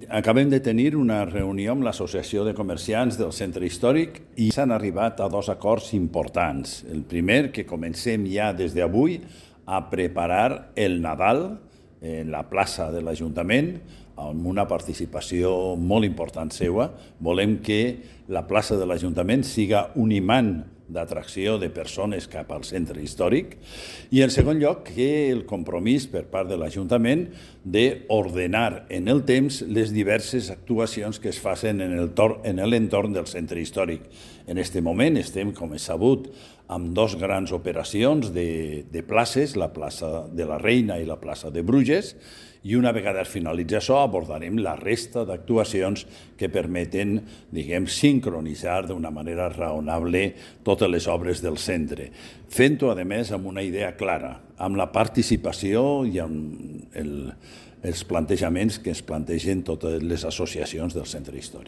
Acabem de tenir una reunió amb l'Associació de Comerciants del Centre Històric i s'han arribat a dos acords importants. El primer, que comencem ja des d'avui a preparar el Nadal en la plaça de l'Ajuntament, amb una participació molt important seva. Volem que la plaça de l'Ajuntament siga un imant d'atracció de persones cap al centre històric, i en segon lloc que el compromís per part de l'Ajuntament d'ordenar en el temps les diverses actuacions que es facin en l'entorn del centre històric. En aquest moment estem, com és sabut, amb dos grans operacions de places, la plaça de la Reina i la plaça de Bruges, i una vegada es finalitzi això abordarem la resta d'actuacions que permeten, sincronitzar d'una manera raonable totes les obres del centre. Fent-ho, a més, amb una idea clara, amb la participació i amb els plantejaments que es plantegen totes les associacions del centre històric.